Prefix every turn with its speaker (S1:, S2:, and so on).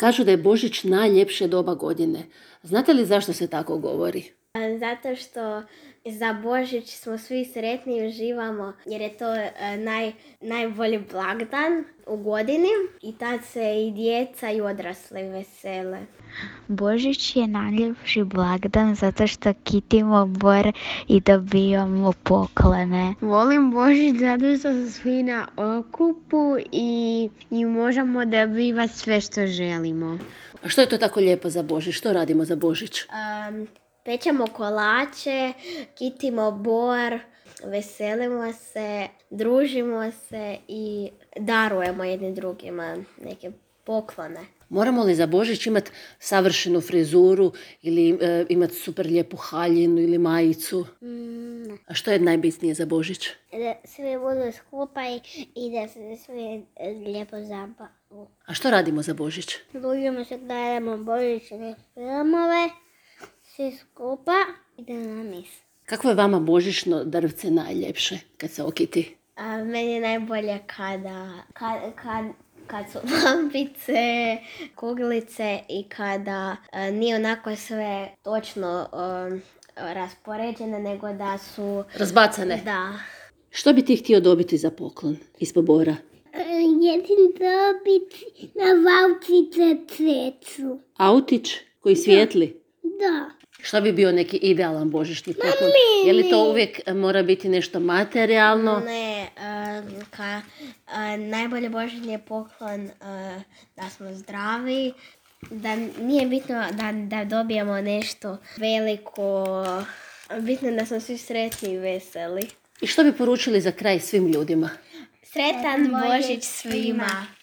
S1: Kažu da je Božić najljepše doba godine. Znate li zašto se tako govori?
S2: Zato što za Božić smo svi sretni i uživamo jer je to najbolji blagdan u godini i tad se i djeca i odrasli vesele.
S3: Božić je najljepši blagdan zato što kitimo bor i dobijamo poklone.
S4: Volim Božić zato što su svi na okupu i možemo dobivati sve što želimo.
S1: A što je to tako lijepo za Božić? Što radimo za Božić?
S2: Pečemo kolače, kitimo bor, veselimo se, družimo se i darujemo jedni drugima neke poklone.
S1: Moramo li za Božić imati savršenu frizuru ili imati super lijepu haljinu ili majicu? A što je najbitnije za Božić?
S2: Da svi budu skupa i da se svi lijepo zabavu.
S1: A što radimo za Božić?
S2: Družimo se, gledamo božićne filmove, svi skupa i da na mis.
S1: Kako je vama božićno drvce najljepše kad se okiti?
S2: Meni je najbolje kad su lampice, kuglice i kada nije onako sve točno raspoređene, nego da su...
S1: Razbacane?
S2: Da.
S1: Što bi ti htio dobiti za poklon ispod bora?
S2: Jedin dobiti na vaučice cveću.
S1: Autić koji svijetli?
S2: Da.
S1: Što bi bio neki idealan božićni poklon? Je li to uvijek mora biti nešto materijalno?
S2: Ne, najbolji božićni poklon da smo zdravi, da nije bitno da dobijemo nešto veliko, bitno je da smo svi sretni i veseli.
S1: I što bi poručili za kraj svim ljudima?
S2: Sretan Božić svima!